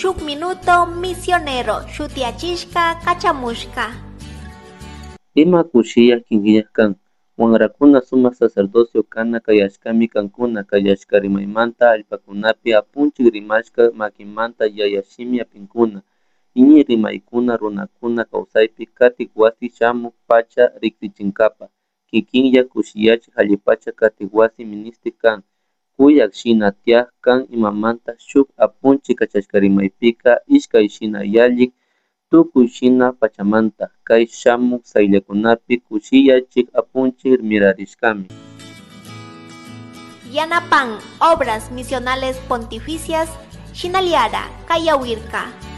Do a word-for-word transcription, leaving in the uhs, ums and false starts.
Shuk Minuto Misionero shutiyachishka kachamushka. Ima kushiyak kinkiyak kan Wanrakuna sumak sacerdocio kana kayashkami kankuna kayashka rimaymanta allpakunapi apunchik rimashka makimanta yaya shimi hapinkuna iñi rimaykuna runakuna kawsaypi katik wasi shamuk pacha riksichinkapa kikinlla kushiyachik allipacha katik wasi ministik kan kuyak shina tiyak kan imamanta shuk apunchik kachashka rimaypika ishkay shina yallik tukuy shina pachamanta kay shamuk sayllakunapi kushiyachik apunchik mirarishkami. Yanapan Obras Misionales Pontificias Shinaliara Kayawirka.